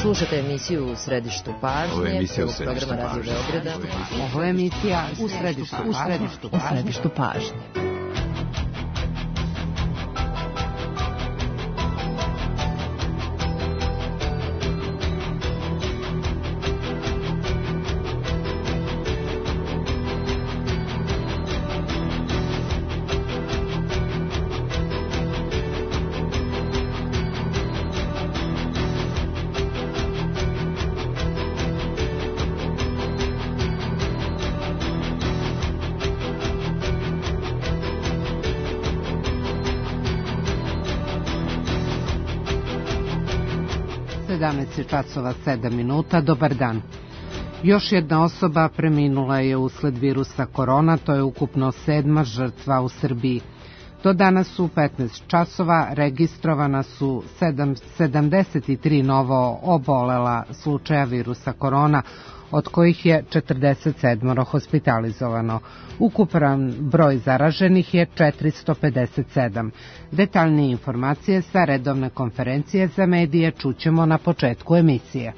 Slušate emisiju U središtu pažnje, programa Radio Beograda. Ovo je emisija U središtu pažnje. Časova 7 minuta. Dobar dan. Još jedna osoba preminula je usled virusa korona, to je ukupno 7. žrtva u Srbiji. Do danas u 15 časova registrovana su 73 novo obolela slučaja virusa korona, od kojih je 47 hospitalizovano. Ukupan broj zaraženih je 457. Detaljnije informacije sa redovne konferencije za medije čućemo na početku emisije.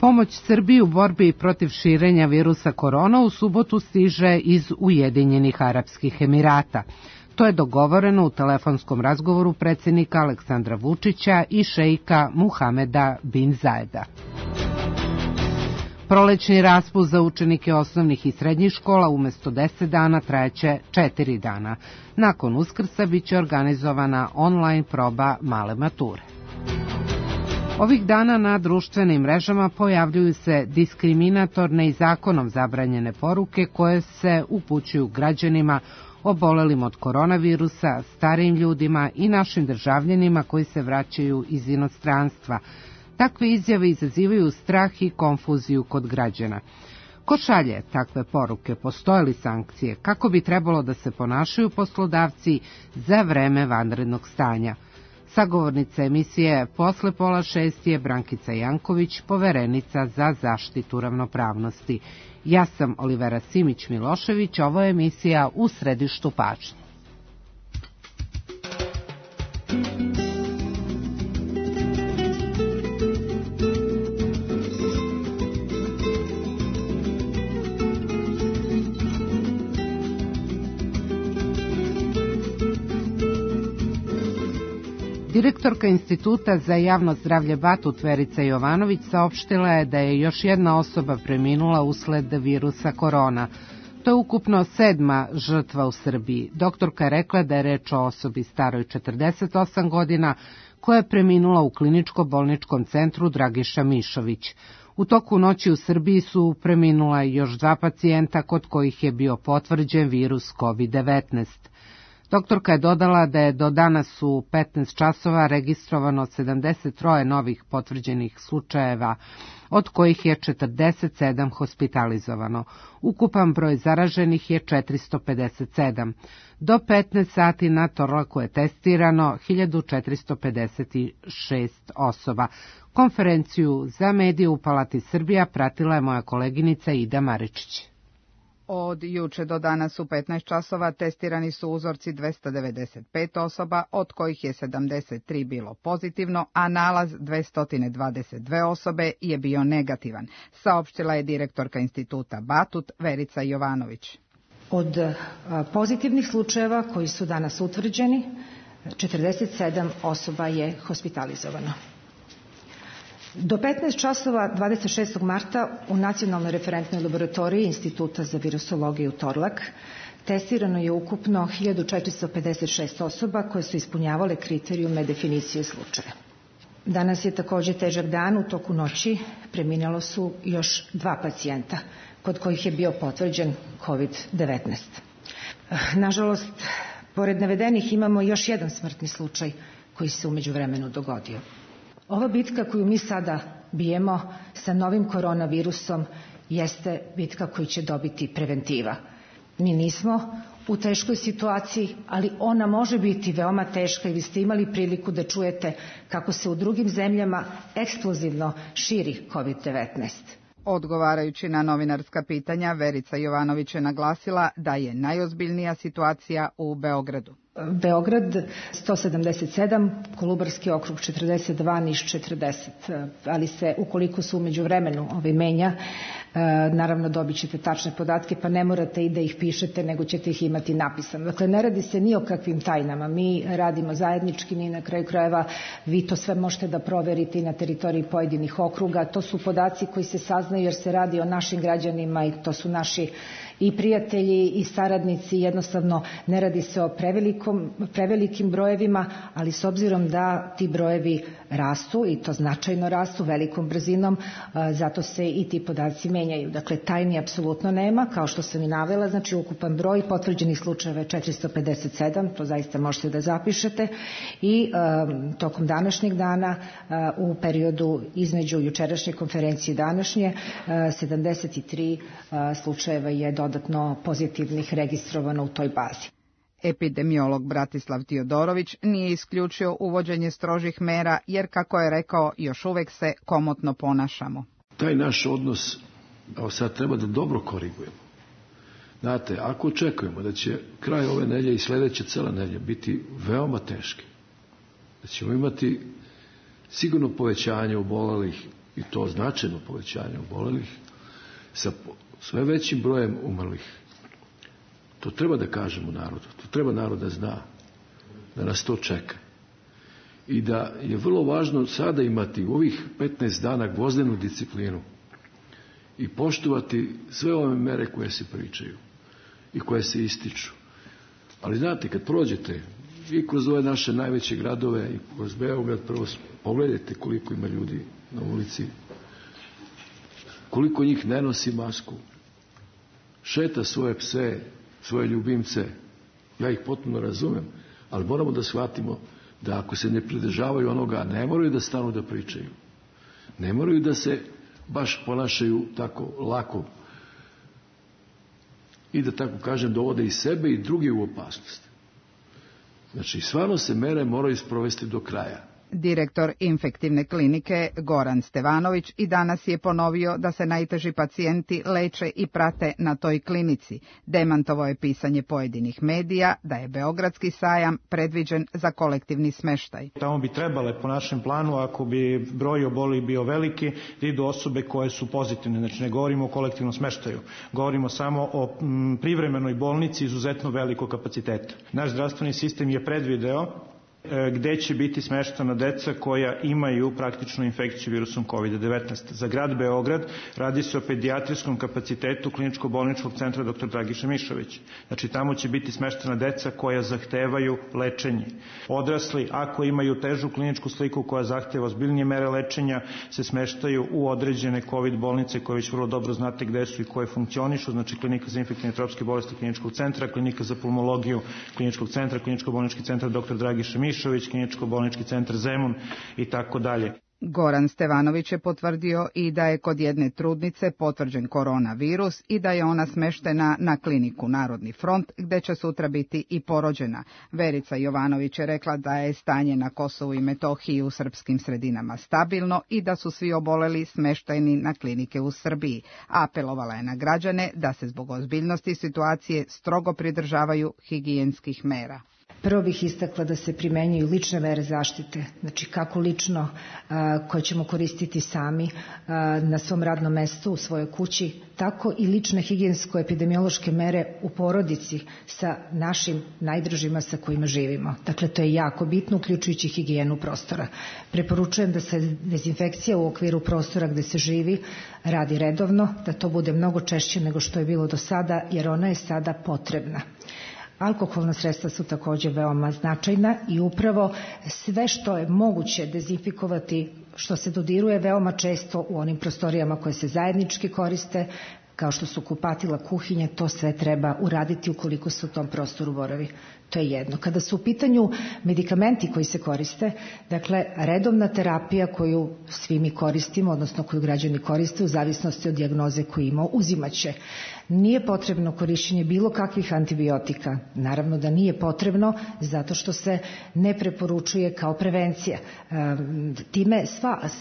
Pomoć Srbiji u borbi protiv širenja virusa korona u subotu stiže iz Ujedinjenih Arapskih Emirata. To je dogovoreno u telefonskom razgovoru predsjednika Aleksandra Vučića i šeika Muhameda bin Zajeda. Prolećni raspust za učenike osnovnih i srednjih škola umjesto 10 dana trajaće 4 dana. Nakon Uskrsa biće organizovana online proba male mature. Ovih dana na društvenim mrežama pojavljuju se diskriminatorne i zakonom zabranjene poruke koje se upućuju građanima obolelim od koronavirusa, starijim ljudima i našim državljanima koji se vraćaju iz inostranstva. Takve izjave izazivaju strah i konfuziju kod građana. Ko šalje takve poruke? Postoje li sankcije? Kako bi trebalo da se ponašaju poslodavci za vreme vanrednog stanja? Sagovornica emisije posle 5:30 je Brankica Janković, poverenica za zaštitu ravnopravnosti. Ja sam Olivera Simić-Milošević, ovo je emisija U središtu pažnje. Direktorka Instituta za javno zdravlje Batut Verica Jovanović saopštila je da je još jedna osoba preminula usled virusa korona. To je ukupno 7. žrtva u Srbiji. Doktorka je rekla da je reč o osobi staroj 48 godina koja je preminula u kliničko-bolničkom centru Dragiša Mišović. U toku noći u Srbiji su preminula još 2 pacijenta kod kojih je bio potvrđen virus COVID-19. Doktorka je dodala da je do danas u 15 časova registrovano 73 novih potvrđenih slučajeva, od kojih je 47 hospitalizovano. Ukupan broj zaraženih je 457. Do 15 sati na Torlaku je testirano 1456 osoba. Konferenciju za medije u Palati Srbija pratila je moja koleginica Ida Maričić. Od juče do danas u 15 časova testirani su uzorci 295 osoba, od kojih je 73 bilo pozitivno, a nalaz 222 osobe je bio negativan, saopštila je direktorka Instituta Batut Verica Jovanović. Od pozitivnih slučajeva koji su danas utvrđeni, 47 osoba je hospitalizovano. Do 15 časova 26. marta u Nacionalnoj referentnoj laboratoriji Instituta za virusologiju Torlak testirano je ukupno 1456 osoba koje su ispunjavale kriterijume definicije slučaja. Danas je također težak dan, u toku noći preminjalo su još 2 pacijenta kod kojih je bio potvrđen COVID-19. Nažalost, pored navedenih imamo još jedan smrtni slučaj koji se u međuvremenu dogodio. Ova bitka koju mi sada bijemo sa novim koronavirusom jeste bitka koju će dobiti preventiva. Mi nismo u teškoj situaciji, ali ona može biti veoma teška i vi ste imali priliku da čujete kako se u drugim zemljama eksplozivno širi COVID-19. Odgovarajući na novinarska pitanja, Verica Jovanović je naglasila da je najozbiljnija situacija u Beogradu. Beograd 177, Kolubarski okrug 42, Niš 40, ali se ukoliko se umeđu vremenu menja, naravno dobit ćete tačne podatke, pa ne morate i da ih pišete, nego ćete ih imati napisano. Dakle, ne radi se ni o kakvim tajnama, mi radimo zajednički, ni na kraju krajeva vi to sve možete da proverite i na teritoriji pojedinih okruga, to su podaci koji se saznaju jer se radi o našim građanima i to su naši i prijatelji i saradnici, jednostavno ne radi se o prevelikim brojevima, ali s obzirom da ti brojevi rastu i to značajno rastu velikom brzinom, zato se i ti podaci menjaju. Dakle, tajni apsolutno nema, kao što sam i navela, znači ukupan broj potvrđenih slučajeva je 457, to zaista možete da zapišete i tokom današnjeg dana u periodu između jučerašnje konferencije i današnje 73 slučajeva je dodatno pozitivnih registrovano u toj bazi. Epidemiolog Bratislav Tiodorović nije isključio uvođenje strožih mera jer, kako je rekao, još uvek se komotno ponašamo. Taj naš odnos, sad treba da dobro korigujemo. Znate, ako očekujemo da će kraj ove nedelje i sledeća cela nedelja biti veoma teški, da ćemo imati sigurno povećanje obolelih, i to značajno povećanje obolelih, sa sve većim brojem umrlih. To treba da kažemo narodu, to treba narod da zna, da nas to čeka. I da je vrlo važno sada imati u ovih 15 dana gvozdenu disciplinu i poštovati sve ove mere koje se pričaju i koje se ističu. Ali znate, kad prođete i kroz ove naše najveće gradove i kroz Beograd, prvo pogledajte koliko ima ljudi na ulici, koliko njih ne nosi masku, šeta svoje pse, svoje ljubimce, ja ih potpuno razumem, ali moramo da shvatimo da ako se ne pridržavaju onoga, ne moraju da stanu da pričaju. Ne moraju da se baš ponašaju tako lako i da tako kažem dovode i sebe i druge u opasnost. Znači, stvarno se mere moraju sprovesti do kraja. Direktor infektivne klinike Goran Stevanović i danas je ponovio da se najteži pacijenti leče i prate na toj klinici. Demantovao je pisanje pojedinih medija da je Beogradski sajam predviđen za kolektivni smeštaj. Tamo bi trebale, po našem planu, ako bi broj obolelih bio veliki, da idu osobe koje su pozitivne. Znači, ne govorimo o kolektivnom smeštaju. Govorimo samo o privremenoj bolnici izuzetno velikog kapaciteta. Naš zdravstveni sistem je predvideo gde će biti smeštena deca koja imaju praktičnu infekciju virusom COVID-19. Za grad Beograd radi se o pedijatrijskom kapacitetu kliničko-bolničkog centra dr. Dragiša Mišović. Znači, tamo će biti smeštena deca koja zahtevaju lečenje. Odrasli, ako imaju težu kliničku sliku koja zahteva ozbiljnije mere lečenja, se smeštaju u određene COVID bolnice koje već vrlo dobro znate gde su i koje funkcionišu, znači klinika za infektivne i tropske bolesti kliničkog centra, klinika za pulmologiju kliničkog centra, kliničko-bolnički centar dr. Dragiša Mišović, kliničko-bolnički centar Zemun i tako dalje. Goran Stevanović je potvrdio i da je kod jedne trudnice potvrđen koronavirus i da je ona smeštena na kliniku Narodni front, gde će sutra biti i porođena. Verica Jovanović je rekla da je stanje na Kosovu i Metohiji u srpskim sredinama stabilno i da su svi oboleli smešteni na klinike u Srbiji. Apelovala je na građane da se zbog ozbiljnosti situacije strogo pridržavaju higijenskih mera. Prvo bih istakla da se primenjuju lične mere zaštite, znači kako lično koje ćemo koristiti sami na svom radnom mestu, u svojoj kući, tako i lične higijensko-epidemiološke mere u porodici sa našim najdražima sa kojima živimo. Dakle, to je jako bitno, uključujući higijenu prostora. Preporučujem da se dezinfekcija u okviru prostora gde se živi radi redovno, da to bude mnogo češće nego što je bilo do sada, jer ona je sada potrebna. Alkoholna sredstva su također veoma značajna i upravo sve što je moguće dezinfikovati, što se dodiruje veoma često u onim prostorijama koje se zajednički koriste, kao što su kupatila, kuhinje, to sve treba uraditi ukoliko se u tom prostoru boravi. To je jedno. Kada su u pitanju medikamenti koji se koriste, dakle, redovna terapija koju svi mi koristimo, odnosno koju građani koriste u zavisnosti od dijagnoze koju ima, uzimaće. Nije potrebno korišćenje bilo kakvih antibiotika. Naravno da nije potrebno, zato što se ne preporučuje kao prevencija. Time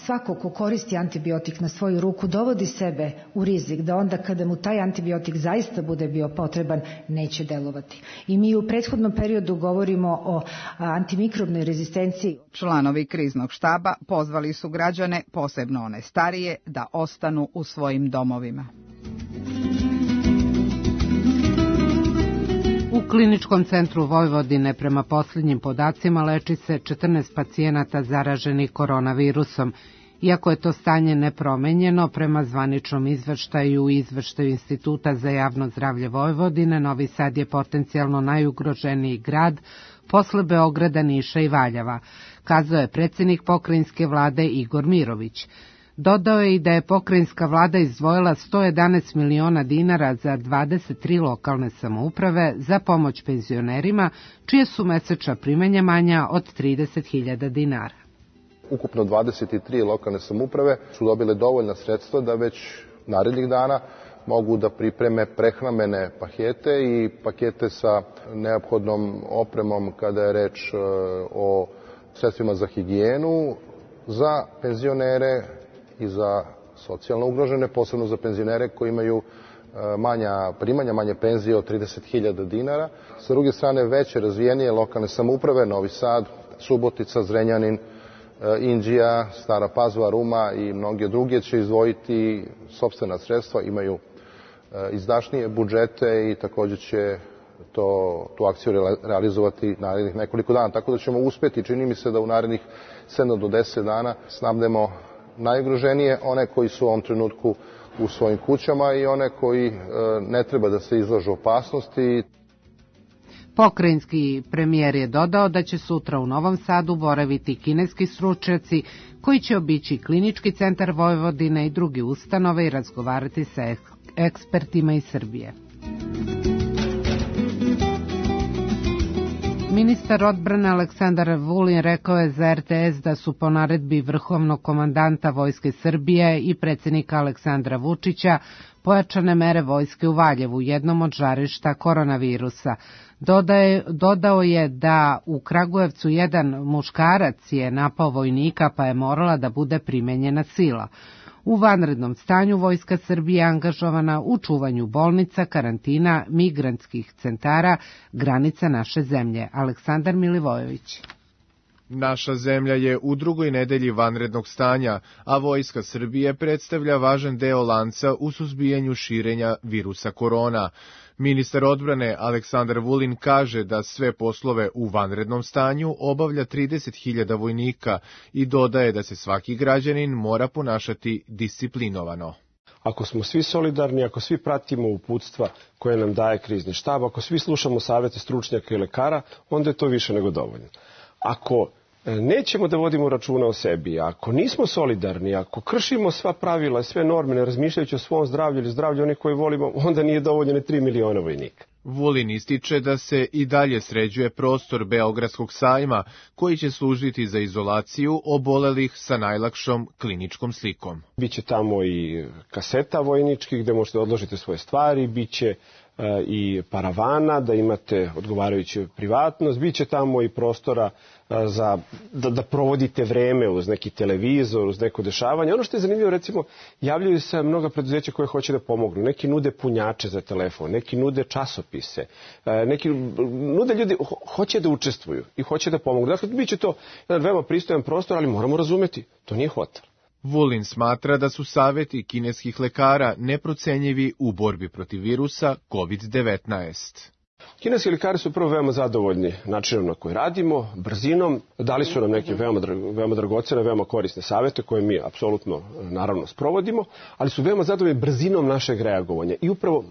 svako ko koristi antibiotik na svoju ruku dovodi sebe u rizik da onda kada mu taj antibiotik zaista bude bio potreban, neće delovati. I mi u prethodnom periodu govorimo o antimikrobnoj rezistenciji. Članovi kriznog štaba pozvali su građane, posebno one starije, da ostanu u svojim domovima. U Kliničkom centru Vojvodine prema posljednjim podacima leči se 14 pacijenata zaraženih koronavirusom. Iako je to stanje nepromenjeno, prema zvaničnom izveštaju i izveštaju Instituta za javno zdravlje Vojvodine, Novi Sad je potencijalno najugroženiji grad posle Beograda, Niša i Valjeva, kazao je predsjednik pokrajinske vlade Igor Mirović. Dodao je i da je pokrajinska vlada izdvojila 111 miliona dinara za 23 lokalne samouprave za pomoć penzionerima, čije su mesečna primanja manja od 30.000 dinara. Ukupno 23 lokalne samouprave su dobile dovoljna sredstva da već narednih dana mogu da pripreme prehrambene pakete i pakete sa neophodnom opremom kada je reč o sredstvima za higijenu, za penzionere i za socijalno ugrožene, posebno za penzionere koji imaju manja primanja, manje penzije od 30.000 dinara. Sa druge strane, veće razvijenije lokalne samouprave, Novi Sad, Subotica, Zrenjanin, Inđija, Stara Pazova, Ruma i mnoge druge će izdvojiti sopstvena sredstva, imaju izdašnije budžete i također će tu akciju realizovati narednih nekoliko dana. Tako da ćemo uspjeti, čini mi se da u narednih 7 do 10 dana snabdemo najugroženije, one koji su u ovom trenutku u svojim kućama i one koji ne treba da se izlažu opasnosti. Pokrajinski premijer je dodao da će sutra u Novom Sadu boraviti kineski stručnjaci koji će obići Klinički centar Vojvodine i druge ustanove i razgovarati sa ekspertima iz Srbije. Ministar odbrane Aleksandar Vulin rekao je za RTS da su po naredbi vrhovnog komandanta Vojske Srbije i predsjednika Aleksandra Vučića pojačane mere vojske u Valjevu, jednom od žarišta koronavirusa. Dodao je da u Kragujevcu jedan muškarac je napao vojnika pa je morala da bude primenjena sila. U vanrednom stanju Vojska Srbije je angažovana u čuvanju bolnica, karantina, migrantskih centara, granica naše zemlje. Aleksandar Milivojević. Naša zemlja je u drugoj nedelji vanrednog stanja, a Vojska Srbije predstavlja važan deo lanca u suzbijanju širenja virusa korona. Ministar odbrane Aleksandar Vulin kaže da sve poslove u vanrednom stanju obavlja 30.000 vojnika i dodaje da se svaki građanin mora ponašati disciplinovano. Ako smo svi solidarni, ako svi pratimo uputstva koje nam daje krizni štab, ako svi slušamo savete stručnjaka i lekara, onda je to više nego dovoljno. Ako nećemo da vodimo računa o sebi, ako nismo solidarni, ako kršimo sva pravila i sve norme, ne razmišljajući o svom zdravlju ili zdravlju onih koje volimo, onda nije dovoljno 3 miliona vojnika. Vulin ističe da se i dalje sređuje prostor Beogradskog sajma, koji će služiti za izolaciju obolelih sa najlakšom kliničkom slikom. Biće tamo i kaseta vojničkih gde možete odložiti svoje stvari, biće i paravana, da imate odgovarajuću privatnost, biće tamo i prostora za da provodite vreme uz neki televizor, uz neko dešavanje. Ono što je zanimljivo, recimo, javljaju se mnoga preduzeća koje hoće da pomognu. Neki nude punjače za telefon, neki nude časopise, neki nude ljudi, hoće da učestvuju i hoće da pomognu. Dakle, biće to jedan veoma pristojan prostor, ali moramo razumeti, to nije hotel. Vulin smatra da su saveti kineskih lekara neprocenjivi u borbi protiv virusa COVID-19. Kineski lekari su prvo veoma zadovoljni načinom na koji radimo, brzinom, dali su nam neke veoma dragocene, veoma korisne savete koje mi apsolutno naravno sprovodimo, ali su veoma zadovoljni brzinom našeg reagovanja i upravo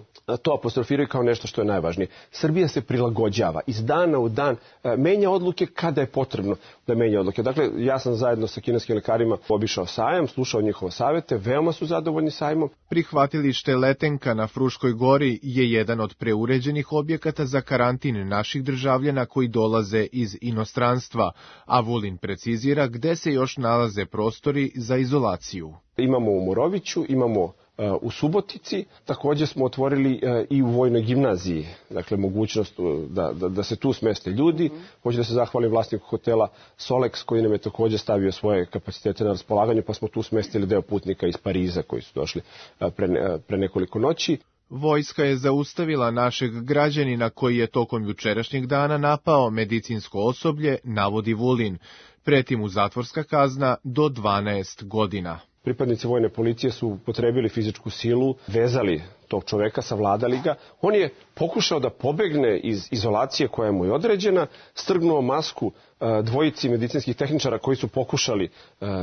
to apostrofiraju kao nešto što je najvažnije. Srbija se prilagođava, iz dana u dan menja odluke kada je potrebno da menja odluke. Dakle, ja sam zajedno sa kineskim lekarima obišao sajam, slušao njihove savete, veoma su zadovoljni sajmom. Prihvatilište Letenka na Fruškoj gori je jedan od preuređenih objekata za karantin naših državljana koji dolaze iz inostranstva, a Vulin precizira gde se još nalaze prostori za izolaciju. Imamo u Moroviću, imamo u Subotici. Takođe smo otvorili i u Vojnoj gimnaziji, dakle mogućnost da se tu smeste ljudi. Hoću da se zahvalim vlasniku hotela Solex koji nam je takođe stavio svoje kapacitete na raspolaganju, pa smo tu smestili deo putnika iz Pariza koji su došli pre nekoliko noći. Vojska je zaustavila našeg građanina koji je tokom jučerašnjeg dana napao medicinsko osoblje, navodi Vulin. Preti mu zatvorska kazna do 12 godina. Pripadnici vojne policije su upotrebili fizičku silu, vezali tog čoveka, savladali ga. On je pokušao da pobegne iz izolacije koja mu je određena, strgnuo masku dvojici medicinskih tehničara koji su pokušali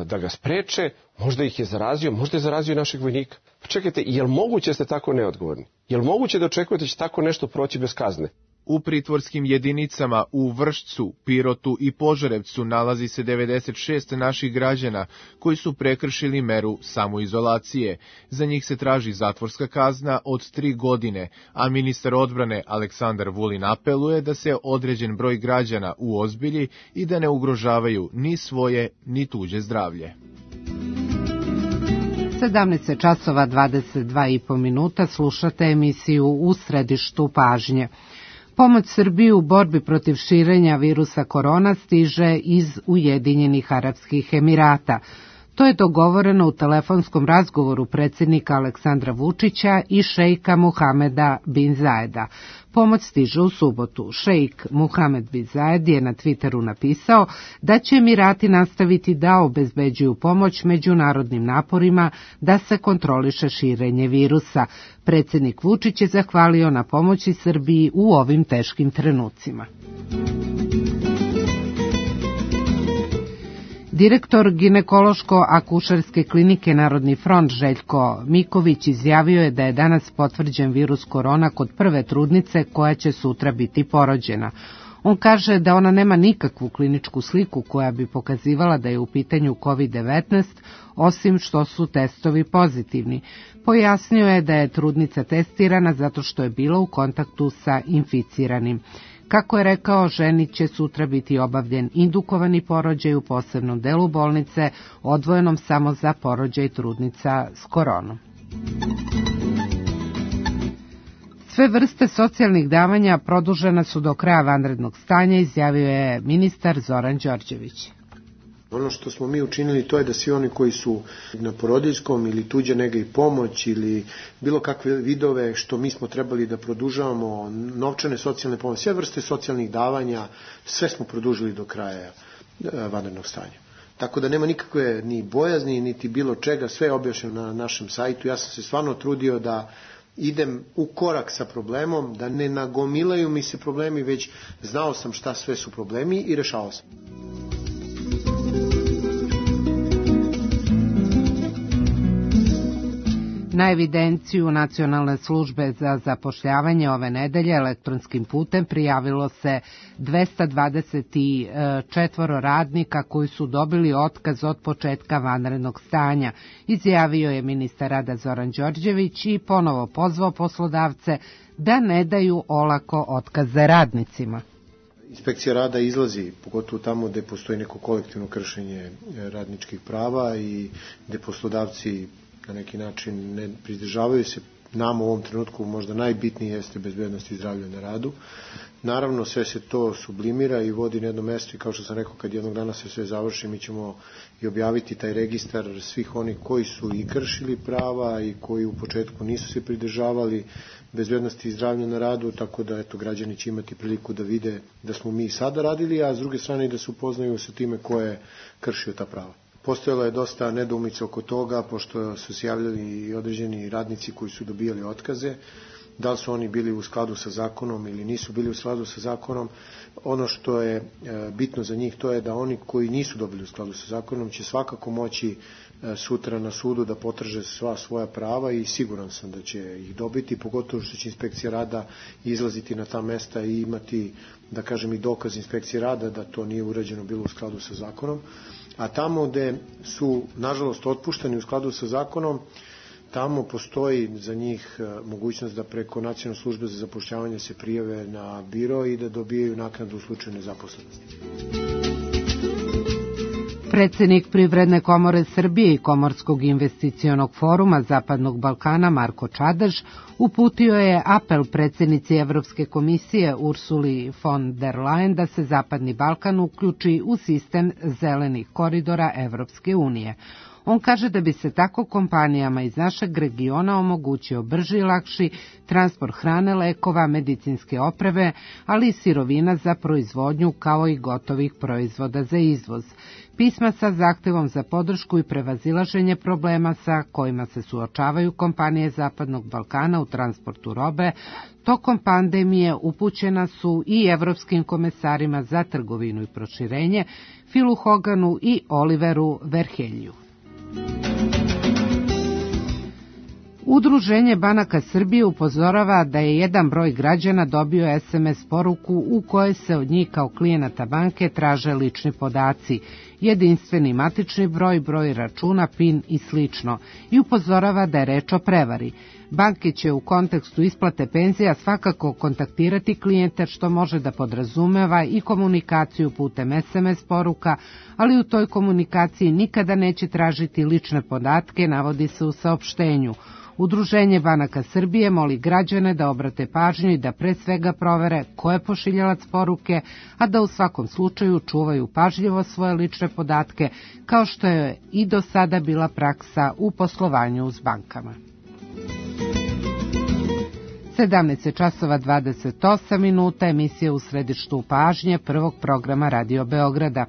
da ga spreče. Možda ih je zarazio, možda je zarazio i našeg vojnika. Pa čekajte, je li moguće da ste tako neodgovorni? Je li moguće da očekujete da će tako nešto proći bez kazne? U pritvorskim jedinicama u Vršcu, Pirotu i Požarevcu nalazi se 96 naših građana koji su prekršili meru samoizolacije. Za njih se traži zatvorska kazna od 3 godine, a ministar odbrane Aleksandar Vulin apeluje da se određen broj građana uozbilji i da ne ugrožavaju ni svoje ni tuđe zdravlje. 17 časova 22,5 minuta slušate emisiju U središtu pažnje. Pomoć Srbiji u borbi protiv širenja virusa korona stiže iz Ujedinjenih Arapskih Emirata. To je dogovoreno u telefonskom razgovoru predsjednika Aleksandra Vučića i šejka Muhameda bin Zajeda. Pomoć stiže u subotu. Šejk Muhamed bin Zajed je na Twitteru napisao da će Emirati nastaviti da obezbeđuju pomoć međunarodnim naporima da se kontroliše širenje virusa. Predsjednik Vučić je zahvalio na pomoći Srbiji u ovim teškim trenucima. Direktor ginekološko-akušerske klinike Narodni front Željko Miković izjavio je da je danas potvrđen virus korona kod prve trudnice koja će sutra biti porođena. On kaže da ona nema nikakvu kliničku sliku koja bi pokazivala da je u pitanju COVID-19, osim što su testovi pozitivni. Pojasnio je da je trudnica testirana zato što je bila u kontaktu sa inficiranim. Kako je rekao, ženi će sutra biti obavljen indukovani porođaj u posebnom delu bolnice, odvojenom samo za porođaj trudnica s koronom. Sve vrste socijalnih davanja produžena su do kraja vanrednog stanja, izjavio je ministar Zoran Đorđević. Ono što smo mi učinili to je da svi oni koji su na porodiljskom ili tuđe nege i pomoć ili bilo kakve vidove što mi smo trebali da produžavamo, novčane socijalne pomoći, sve vrste socijalnih davanja, sve smo produžili do kraja vanrednog stanja. Tako da nema nikakve ni bojazni, niti bilo čega, sve je objašnjeno na našem sajtu. Ja sam se stvarno trudio da idem u korak sa problemom, da ne nagomilaju mi se problemi, već znao sam šta sve su problemi i rešavao sam. Na evidenciju Nacionalne službe za zapošljavanje ove nedelje elektronskim putem prijavilo se 224 radnika koji su dobili otkaz od početka vanrednog stanja, izjavio je ministar rada Zoran Đorđević i ponovo pozvao poslodavce da ne daju olako otkaze radnicima. Inspekcija rada izlazi, pogotovo tamo gde postoji neko kolektivno kršenje radničkih prava i gde poslodavci na neki način ne pridržavaju se. Nam u ovom trenutku možda najbitnije jeste bezbednost i zdravlje na radu. Naravno, sve se to sublimira i vodi na jedno mesto i kao što sam rekao, kad jednog dana se sve završi, mi ćemo i objaviti taj registar svih onih koji su i kršili prava i koji u početku nisu se pridržavali bezbednosti i zdravlja na radu, tako da eto, građani će imati priliku da vide da smo mi sada radili, a s druge strane i da se upoznaju sa time ko je kršio ta prava. Postojalo je dosta nedoumica oko toga, pošto su se javljali i određeni radnici koji su dobijali otkaze, da li su oni bili u skladu sa zakonom ili nisu bili u skladu sa zakonom. Ono što je bitno za njih to je da oni koji nisu dobili u skladu sa zakonom će svakako moći sutra na sudu da potraže sva svoja prava i siguran sam da će ih dobiti, pogotovo što će inspekcija rada izlaziti na ta mesta i imati, da kažem, i dokaz inspekcije rada da to nije urađeno bilo u skladu sa zakonom. A tamo gde su, nažalost, otpušteni u skladu sa zakonom, tamo postoji za njih mogućnost da preko Nacionalne službe za zapošljavanje se prijave na biro i da dobijaju naknadu u slučaju nezaposlenosti. Predsednik Privredne komore Srbije i Komorskog investicionog foruma Zapadnog Balkana Marko Čadež uputio je apel predsednici Evropske komisije Ursuli von der Leyen da se Zapadni Balkan uključi u sistem zelenih koridora Evropske unije. On kaže da bi se tako kompanijama iz našeg regiona omogućio brži i lakši transport hrane, lekova, medicinske opreme, ali i sirovina za proizvodnju kao i gotovih proizvoda za izvoz. Pisma sa zahtevom za podršku i prevazilaženje problema sa kojima se suočavaju kompanije Zapadnog Balkana u transportu robe tokom pandemije upućena su i evropskim komesarima za trgovinu i proširenje Filu Hoganu i Oliveru Verhelju. Udruženje banaka Srbije upozorava da je jedan broj građana dobio SMS poruku u kojoj se od njih kao klijenata banke traže lični podaci, jedinstveni matični broj, broj računa, PIN i slično, i upozorava da je reč o prevari. Banke će u kontekstu isplate penzija svakako kontaktirati klijente, što može da podrazumeva i komunikaciju putem SMS poruka, ali u toj komunikaciji nikada neće tražiti lične podatke, navodi se u saopštenju. Udruženje banaka Srbije moli građane da obrate pažnju i da pre svega provere ko je pošiljalac poruke, a da u svakom slučaju čuvaju pažljivo svoje lične podatke, kao što je i do sada bila praksa u poslovanju s bankama. 17:28, emisija U središtu pažnje prvog programa Radio Beograda.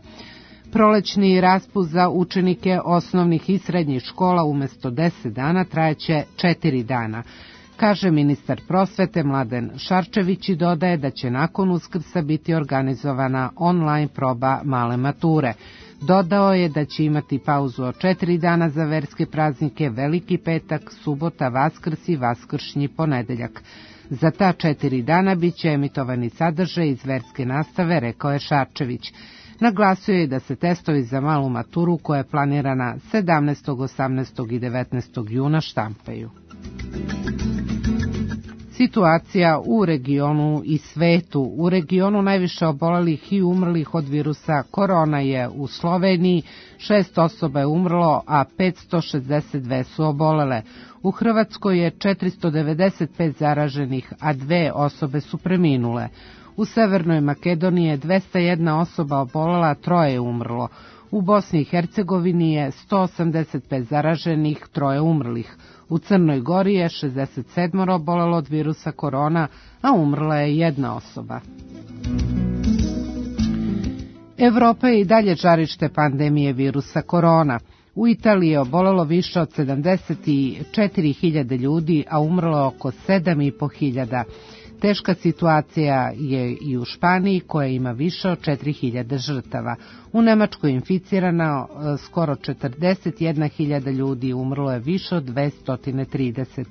Prolećni raspust za učenike osnovnih i srednjih škola umesto 10 dana trajeće 4 dana, kaže ministar prosvete Mladen Šarčević i dodaje da će nakon Uskrsa biti organizovana online proba male mature. Dodao je da će imati pauzu od 4 dana za verske praznike, Veliki petak, subota, Vaskrs i vaskršnji ponedeljak. Za ta 4 dana bit će emitovani sadržaj iz verske nastave, rekao je Šarčević. Naglasio je da se testovi za malu maturu, koja je planirana 17., 18. i 19. juna, štampaju. Situacija u regionu i svetu. U regionu najviše obolelih i umrlih od virusa korona je u Sloveniji, 6 osoba je umrlo, a 562 su obolele. U Hrvatskoj je 495 zaraženih, a 2 osobe su preminule. U Severnoj Makedoniji je 201 osoba obolela, 3 je umrlo. U Bosni i Hercegovini je 185 zaraženih, 3 umrlih. U Crnoj Gori je 67 obolelo od virusa korona, a umrla je 1 osoba. Evropa je i dalje žarište pandemije virusa korona. U Italiji je obolelo više od 74.000 ljudi, a umrlo oko 7.500. Teška situacija je i u Španiji, koja ima više od 4.000 žrtava. U Nemačkoj je inficirano skoro 41.000 ljudi, umrlo je više od 230.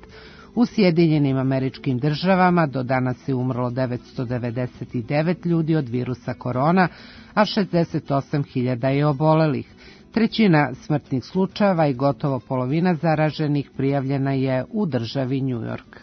U Sjedinjenim Američkim Državama do danas je umrlo 999 ljudi od virusa korona, a 68.000 je obolelih. Trećina smrtnih slučajeva i gotovo polovina zaraženih prijavljena je u državi New York.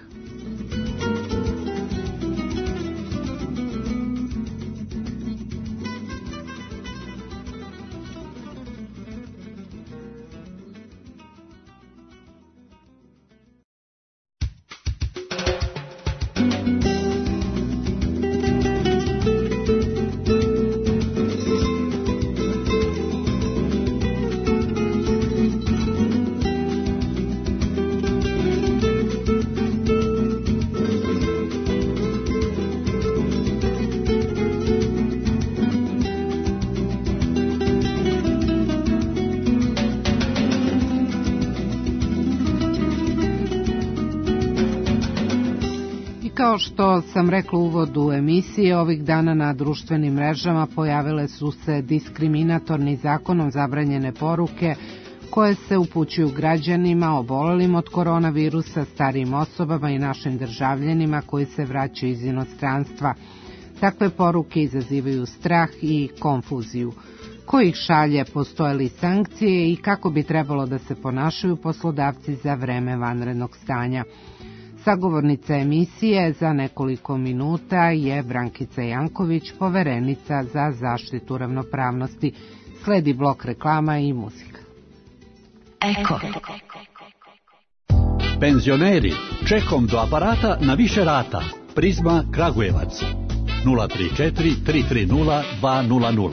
Kao što sam rekla u uvodu emisije, ovih dana na društvenim mrežama pojavile su se diskriminatorni zakonom zabranjene poruke koje se upućuju građanima obolelim od koronavirusa, starijim osobama i našim državljanima koji se vraćaju iz inostranstva. Takve poruke izazivaju strah i konfuziju. Ko ih šalje, postoje li sankcije i kako bi trebalo da se ponašaju poslodavci za vreme vanrednog stanja? Sagovornica emisije za nekoliko minuta je Brankica Janković, poverenica za zaštitu ravnopravnosti. Sledi blok reklama i muzika. Eko. Penzioneri, čekom do aparata na više rata. Prizma Kragujevac 034 330 200.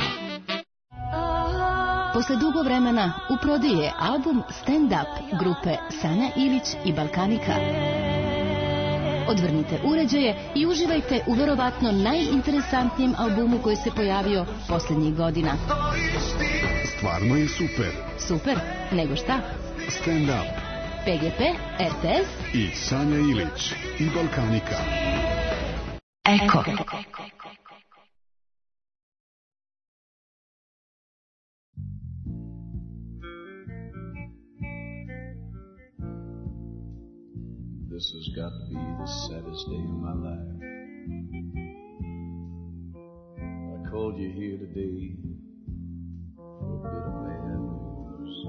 Posle dugo vremena u prodaju je album Stand Up grupe Sanja Ilić i Balkanika. Odvrnite uređaje i uživajte u verovatno najinteresantnijem albumu koji se pojavio poslednjih godina. Stvarno je super. Super? Nego šta? Stand Up. PGP, RTS i Sanja Ilić i Balkanika. Eko. This has got to be the saddest day of my life. I called you here today for a bit of bad news. I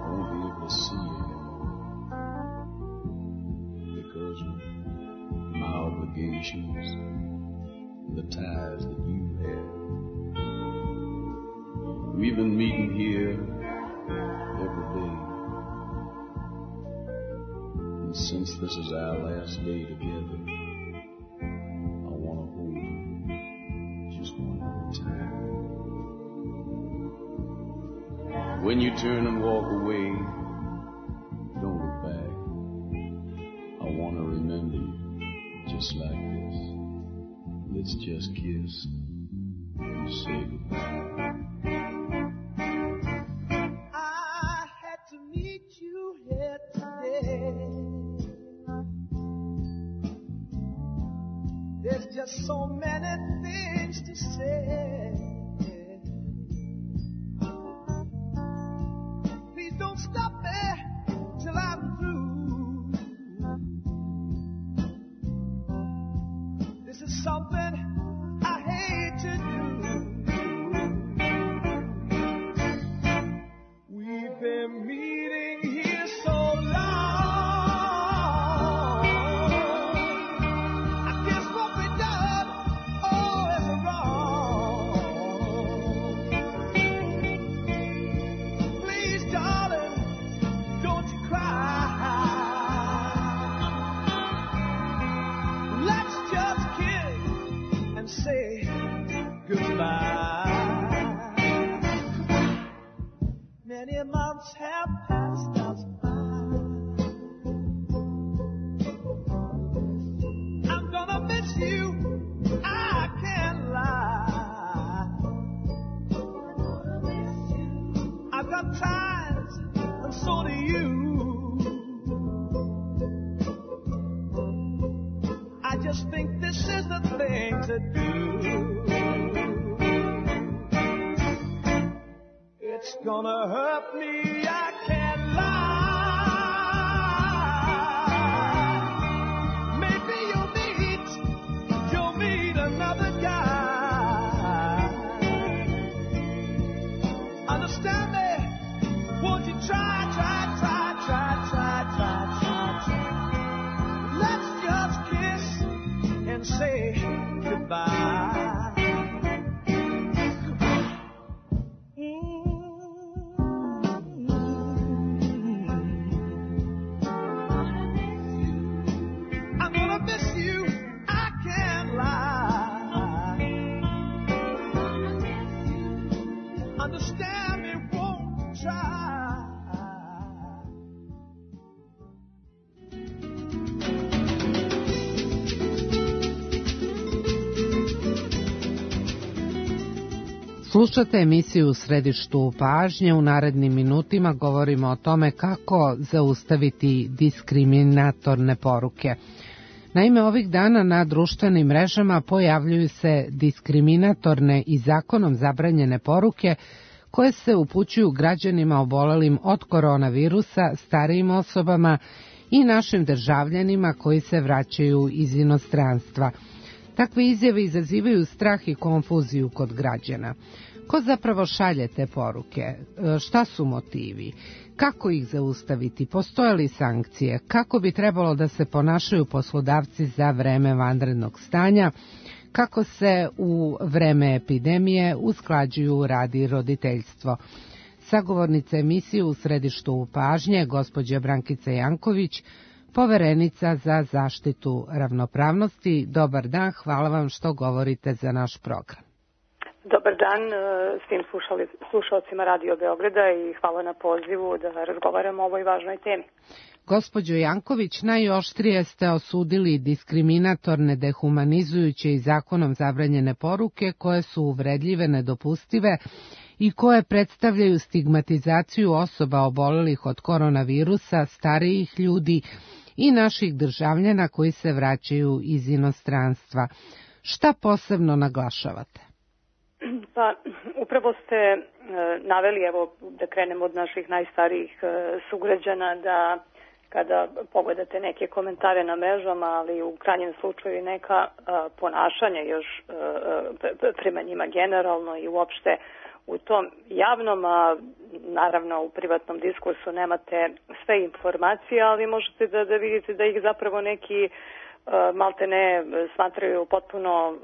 won't be able to see you anymore because of my obligations and the ties that you have. We've been meeting here every day. Since this is our last day together, I want to hold you just one more time. When you turn and walk away, don't look back. I want to remember you just like this. Let's just kiss and say goodbye. I had to meet you here today. There's just so many things to say. Please don't stop me till I'm through. This is something I hate to do. We've been meeting here so long. Say goodbye. Many months have passed us by. I'm gonna miss you, I can't lie. I've got ties, and so do you. I just think this is the thing to do. It's gonna hurt me, I can't lie. Maybe you'll meet another guy. Understand me? Won't you try? Let's just kiss and say goodbye. I'm gonna miss you, I can't lie. Understand me, won't try. Slušate emisiju U središtu pažnje. U narednim minutima govorimo o tome kako zaustaviti diskriminatorne poruke. Naime, ovih dana na društvenim mrežama pojavljuju se diskriminatorne i zakonom zabranjene poruke koje se upućuju građanima obolelim od koronavirusa, starijim osobama i našim državljanima koji se vraćaju iz inostranstva. Takve izjave izazivaju strah i konfuziju kod građana. Ko zapravo šalje te poruke? Šta su motivi? Kako ih zaustaviti? Postoje li sankcije? Kako bi trebalo da se ponašaju poslodavci za vreme vanrednog stanja? kako se u vreme epidemije usklađuju rad i roditeljstvo. Sagovornica emisije u središtu pažnje, gospođa Brankica Janković, poverenica za zaštitu ravnopravnosti. Dobar dan, hvala vam što govorite za naš program. Dobar dan svim slušalcima Radio Beograda i hvala na pozivu da razgovaramo o ovoj važnoj temi. Gospođo Janković, najoštrije ste osudili diskriminatorne, dehumanizujuće i zakonom zabranjene poruke koje su uvredljive, nedopustive i koje predstavljaju stigmatizaciju osoba obolelih od koronavirusa, starijih ljudi i naših državljana koji se vraćaju iz inostranstva. Šta posebno naglašavate? Pa, upravo ste naveli, evo da krenemo od naših najstarijih sugrađana, da kada pogledate neke komentare na mrežama, ali u krajnjem slučaju neka ponašanja još prema njima generalno i uopšte u tom javnom, a naravno u privatnom diskursu nemate sve informacije, ali možete da vidite da ih zapravo neki malte ne smatraju potpuno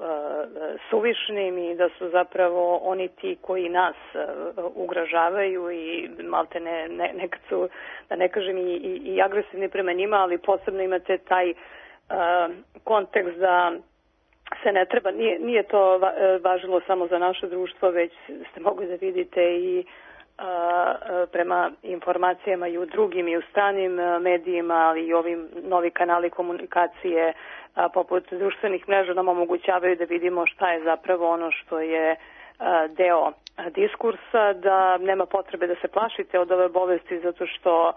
suvišnim i da su zapravo oni ti koji nas ugrožavaju i malte ne nekad su, da ne kažem, i agresivni prema njima, ali posebno imate taj kontekst da se ne treba, nije to važilo samo za naše društvo, već ste mogli da vidite i prema informacijama i u drugim i u stranim medijima, ali i ovim novi kanali komunikacije poput društvenih mreža nam omogućavaju da vidimo šta je zapravo ono što je deo diskursa, da nema potrebe da se plašite od ove bolesti zato što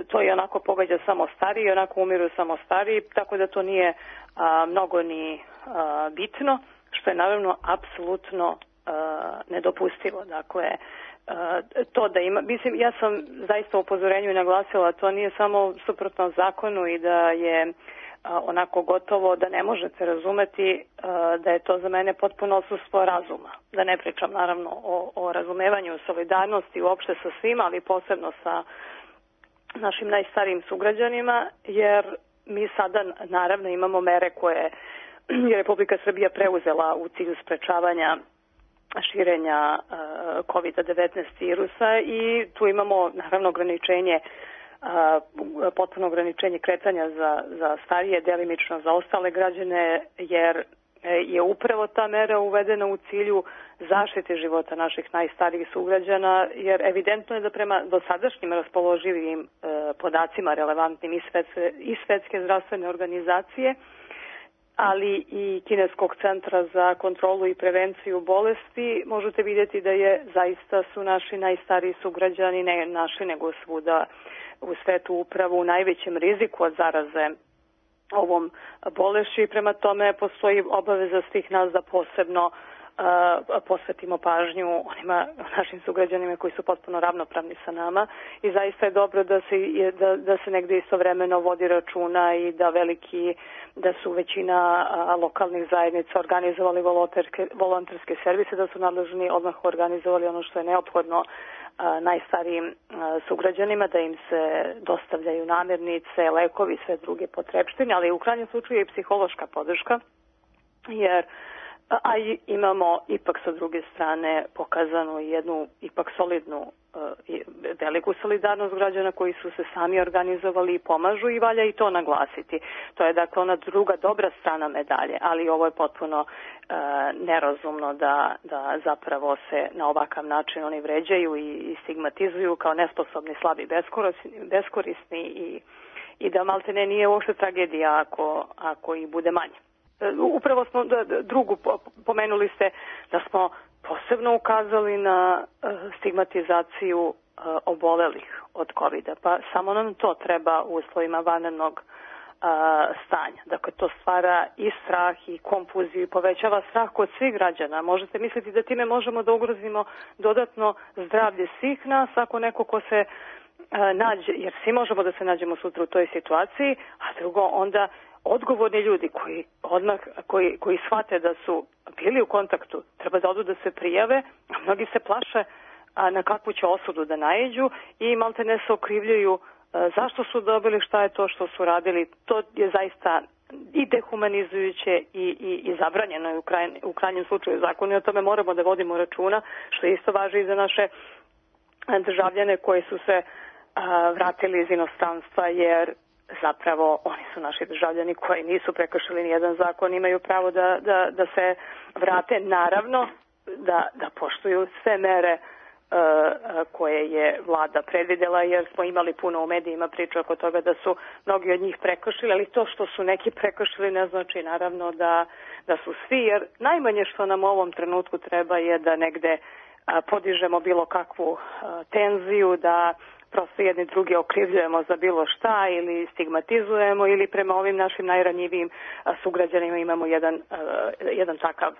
to je onako pogađa samo stariji, onako umiru samo stariji, tako da to nije mnogo ni bitno, što je naravno apsolutno nedopustivo. Dakle, to da ima, mislim, ja sam zaista u upozorenju i naglasila, to nije samo suprotno zakonu i da je onako gotovo da ne možete razumeti da je to za mene potpuno odsustvo razuma. Da ne pričam naravno o razumevanju, solidarnosti uopšte sa svima, ali posebno sa našim najstarijim sugrađanima, jer mi sada naravno imamo mere koje je Republika Srbija preuzela u cilju sprečavanja širenja COVID-19 virusa i tu imamo naravno ograničenje, potpuno ograničenje kretanja za starije, delimično za ostale građane, jer je upravo ta mera uvedena u cilju zaštite života naših najstarijih sugrađana, jer evidentno je da prema dosadašnjim raspoloživim podacima relevantnim i Svetske zdravstvene organizacije, ali i Kineskog centra za kontrolu i prevenciju bolesti, možete vidjeti da je zaista su naši najstariji sugrađani, ne naši nego svuda u svetu upravo u najvećem riziku od zaraze ovom bolešću i prema tome postoji obaveza svih nas da posebno posvetimo pažnju onima našim sugrađanima koji su potpuno ravnopravni sa nama i zaista je dobro da se negdje istovremeno vodi računa i da su većina lokalnih zajednica organizovali volonterske servise, da su nadležni odmah organizovali ono što je neophodno najstarijim sugrađanima, da im se dostavljaju namirnice, lekovi, sve druge potrepštine, ali u krajnjem slučaju i psihološka podrška, jer a imamo ipak sa druge strane pokazanu jednu ipak solidnu veliku solidarnost građana koji su se sami organizovali i pomažu i valja i to naglasiti. To je dakle ona druga dobra strana medalje, ali ovo je potpuno nerazumno da zapravo se na ovakav način oni vređaju i stigmatizuju kao nesposobni, slabi, beskorisni i da maltene nije uopšte tragedija ako i bude manje. Upravo smo drugu pomenuli ste da smo posebno ukazali na stigmatizaciju obolelih od COVID-a, pa samo nam to treba u uslovima vanrednog stanja. Dakle, to stvara i strah i konfuziju i povećava strah kod svih građana. Možete misliti da time možemo da ugrozimo dodatno zdravlje svih nas ako neko ko se nađe, jer svi možemo da se nađemo sutra u toj situaciji, a drugo onda odgovorni ljudi koji shvate da su bili u kontaktu, treba da odu da se prijave, a mnogi se plaše na kakvu će osudu da naiđu i malte ne se okrivljuju zašto su dobili, šta je to što su radili. To je zaista i dehumanizujuće i zabranjeno je u krajnjem slučaju zakonu i o tome moramo da vodimo računa, što isto važi i za naše državljane koji su se vratili iz inostranstva, jer zapravo oni su naši državljani koji nisu prekršili nijedan zakon, imaju pravo da se vrate, naravno da poštuju sve mere koje je vlada predvidela, jer smo imali puno u medijima priča oko toga da su mnogi od njih prekršili, ali to što su neki prekršili ne znači naravno da su svi, jer najmanje što nam u ovom trenutku treba je da negde podižemo bilo kakvu tenziju, da prosto jedni drugi okrivljujemo za bilo šta ili stigmatizujemo ili prema ovim našim najranjivijim sugrađanima imamo jedan takav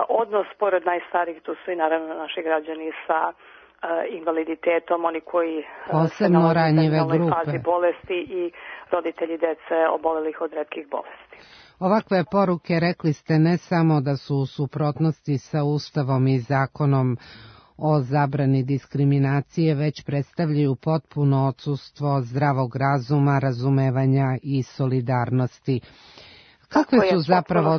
odnos. Pored najstarijih tu su i naravno naši građani sa invaliditetom, oni koji posebno ranjive grupe, fazi bolesti i roditelji dece obolelih od retkih bolesti. Ovakve poruke, rekli ste, ne samo da su u suprotnosti sa Ustavom i zakonom o zabrani diskriminacije, već predstavljaju potpuno odsustvo zdravog razuma, razumevanja i solidarnosti. Kakve su zapravo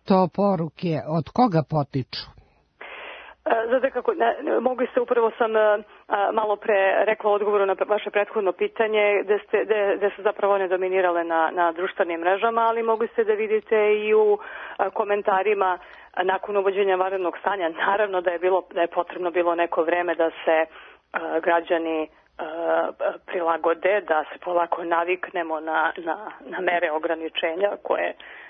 to poruke? Od koga potiču? Znate kako, mogli ste, upravo sam malo pre rekla u odgovoru na vaše prethodno pitanje, gde su zapravo one dominirale na društvenim mrežama, ali mogli ste da vidite i u komentarima nakon uvođenja vanrednog stanja. Naravno da je potrebno bilo neko vreme da se građani prilagode, da se polako naviknemo na mere ograničenja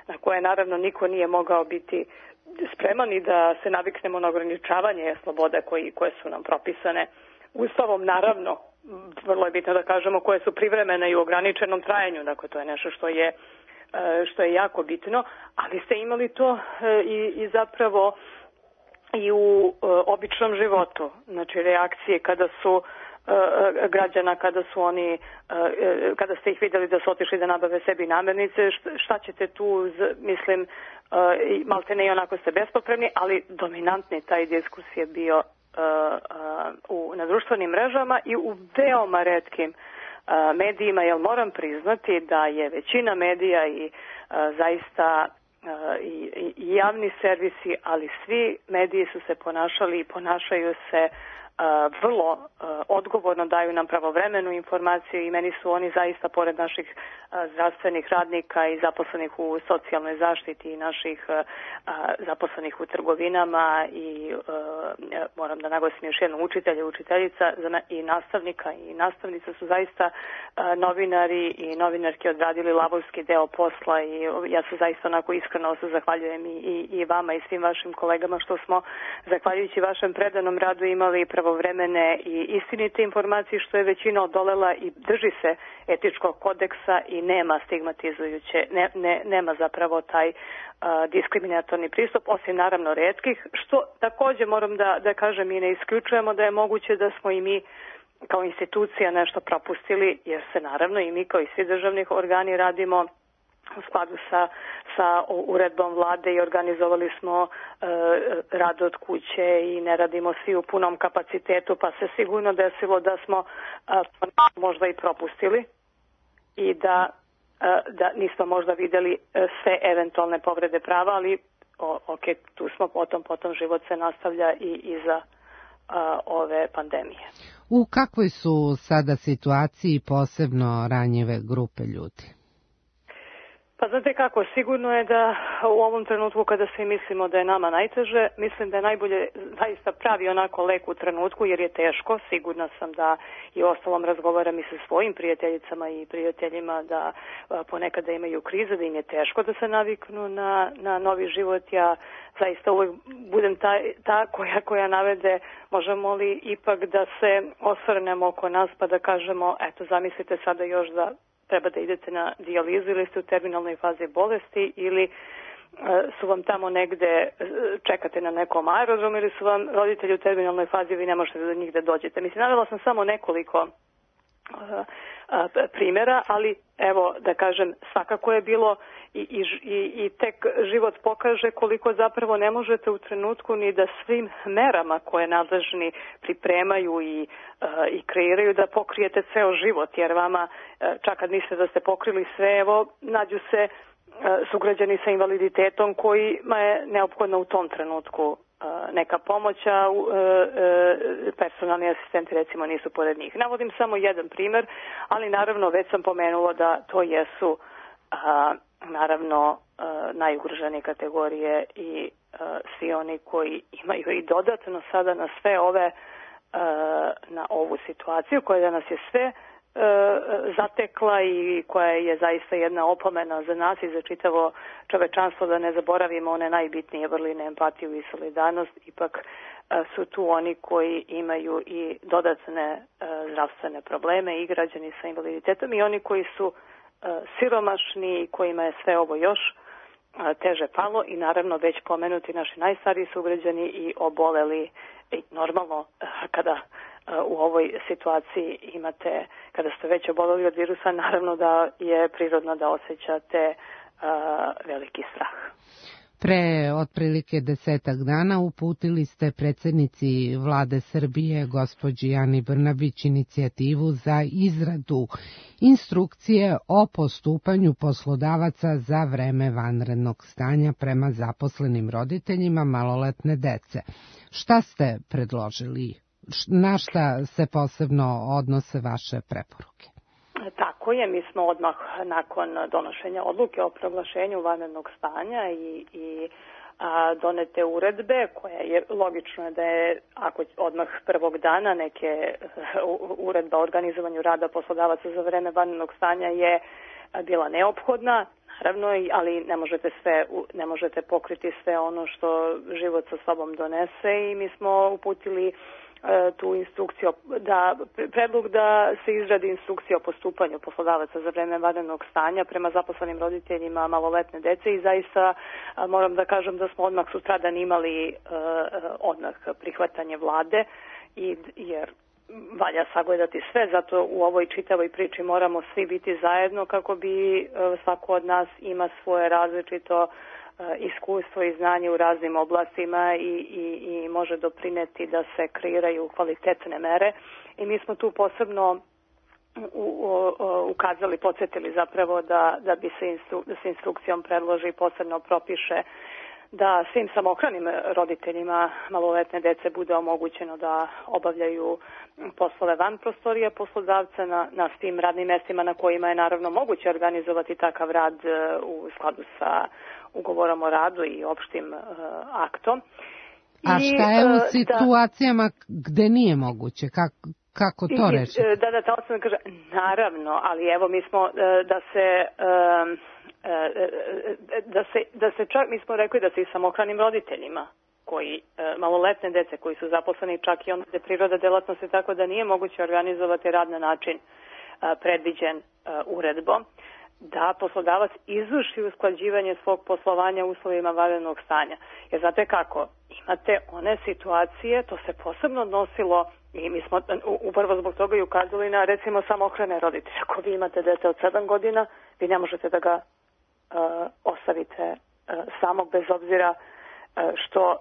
na koje naravno niko nije mogao biti spreman i da se naviknemo na ograničavanje sloboda koje su nam propisane Ustavom, naravno, vrlo je bitno da kažemo koje su privremene i u ograničenom trajanju, dakle to je nešto što je jako bitno, ali ste imali to i zapravo i u običnom životu, znači reakcije kada su građana, kada ste ih vidjeli da su otišli da nabave sebi namirnice, šta ćete tu, mislim, malte ne i onako ste bespopremni, ali dominantni taj diskus je bio na društvenim mrežama i u veoma retkim medijima, jer moram priznati da je većina medija i zaista i javni servisi, ali svi mediji su se ponašali i ponašaju se vrlo odgovorno, daju nam pravovremenu informaciju i meni su oni zaista, pored naših zdravstvenih radnika i zaposlenih u socijalnoj zaštiti i naših zaposlenih u trgovinama i moram da naglasim još jednu učitelja, učiteljica i nastavnika i nastavnica su zaista novinari i novinarke odradili lavovski deo posla i ja se zaista onako iskreno se zahvaljujem i vama i svim vašim kolegama što smo zahvaljujući vašem predanom radu imali pravovremene i istinite informacije, što je većina odolela i drži se etičkog kodeksa i nema stigmatizujuće, nema zapravo taj diskriminatorni pristup, osim naravno retkih, što također moram da kažem i ne isključujemo da je moguće da smo i mi kao institucija nešto propustili, jer se naravno i mi kao i svi državni organi radimo u skladu sa uredbom vlade i organizovali smo rad od kuće i ne radimo svi u punom kapacitetu, pa se sigurno desilo da smo možda i propustili i da nismo možda vidjeli sve eventualne povrede prava, ali ok, tu smo, potom život se nastavlja i iza ove pandemije. U kakvoj su sada situaciji posebno ranjive grupe ljudi? Pa znate kako, sigurno je da u ovom trenutku kada svi mislimo da je nama najteže, mislim da je najbolje zaista pravi onako lek u trenutku jer je teško. Sigurna sam da i ostalom razgovaram i sa svojim prijateljicama i prijateljima da ponekada imaju krize, da im je teško da se naviknu na novi život. Ja zaista uvijek budem ta koja navede možemo li ipak da se osvrnemo oko nas pa da kažemo eto zamislite sada još da treba da idete na dijalizu ili ste u terminalnoj fazi bolesti ili su vam tamo negde, čekate na nekom aerodromu ili su vam roditelji u terminalnoj fazi, vi ne možete do njih da dođete. Mislim, navela sam samo nekoliko primjera, ali evo da kažem svakako je bilo i tek život pokaže koliko zapravo ne možete u trenutku ni da svim merama koje nadležni pripremaju i kreiraju da pokrijete ceo život, jer vama čak kad mislite da ste pokrili sve, evo nađu se sugrađani sa invaliditetom kojima je neophodna u tom trenutku neka pomoć, a personalni asistenti recimo nisu pored njih. Navodim samo jedan primer, ali naravno već sam pomenula da to jesu naravno najugroženije kategorije i svi oni koji imaju i dodatno sada na sve ove, na ovu situaciju koja nas je sve zatekla i koja je zaista jedna opomena za nas i za čitavo čovečanstvo, da ne zaboravimo one najbitnije vrline, empatiju i solidarnost. Ipak su tu oni koji imaju i dodatne zdravstvene probleme i građani sa invaliditetom i oni koji su siromašni i kojima je sve ovo još teže palo i naravno već pomenuti naši najstariji sugrađani i oboleli. I normalno kada u ovoj situaciji imate, kada ste već oboleli od virusa, naravno da je prirodno da osjećate veliki strah. Pre otprilike 10 dana uputili ste predsjednici Vlade Srbije, gospođi Ani Brnabić, inicijativu za izradu instrukcije o postupanju poslodavaca za vreme vanrednog stanja prema zaposlenim roditeljima maloletne dece. Šta ste predložili? Na šta se posebno odnose vaše preporuke? Tako je, mi smo odmah nakon donošenja odluke o proglašenju vanrednog stanja i donete uredbe, koja je logično da je, ako odmah prvog dana neke uredba o organizovanju rada poslodavaca za vreme vanrednog stanja je bila neophodna, naravno, ali ne možete pokriti sve ono što život sa sobom donese i mi smo uputili tu instrukciju, predlog da se izradi instrukcija o postupanju poslodavaca za vreme vanrednog stanja prema zaposlenim roditeljima maloletne dece i zaista moram da kažem da smo odmah sutradan imali odmah prihvatanje vlade jer valja sagledati sve, zato u ovoj čitavoj priči moramo svi biti zajedno kako bi svako od nas ima svoje različito iskustvo i znanje u raznim oblastima i može doprineti da se kreiraju kvalitetne mere i mi smo tu posebno ukazali, podsjetili zapravo da bi se instrukcijom predloži i posebno propiše da svim samohranim roditeljima maloletne dece bude omogućeno da obavljaju poslove van prostorija poslodavca na svim radnim mestima na kojima je naravno moguće organizovati takav rad u skladu sa ugovorom o radu i opštim aktom. A šta je u situacijama gde nije moguće? Kako to reći? Da osnovno kaže, naravno, ali evo mi smo da se čak, mi smo rekli da se i samohranim roditeljima koji maloletne dece koji su zaposleni čak i onda je priroda delatnosti tako da nije moguće organizovati rad na način predviđen uredbom, da poslodavac izvrši usklađivanje svog poslovanja u uslovima vanrednog stanja. Jer znate kako, imate one situacije, to se posebno odnosilo i mi smo upravo zbog toga i ukazali na recimo samohrane roditelje. Ako vi imate dete od 7 godina, vi ne možete da ga ostavite samog bez obzira što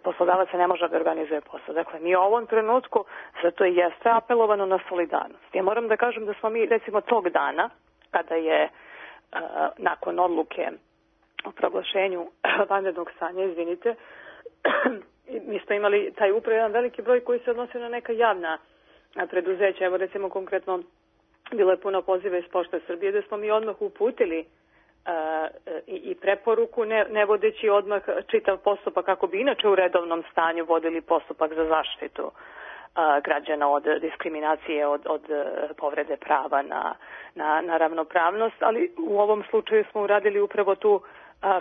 poslodavac ne može da organizuje posao. Dakle, mi u ovom trenutku, zato i jeste apelovano na solidarnost. Ja moram da kažem da smo mi, recimo, tog dana, kada je nakon odluke o proglašenju vanrednog stanja, mi smo imali taj upravo jedan veliki broj koji se odnosio na neka javna preduzeća. Evo, recimo, konkretno, bilo je puno poziva iz Pošte Srbije, da smo mi odmah uputili i preporuku, ne vodeći odmah čitav postupak kako bi inače u redovnom stanju vodili postupak za zaštitu građana od diskriminacije, od povrede prava na ravnopravnost, ali u ovom slučaju smo uradili upravo tu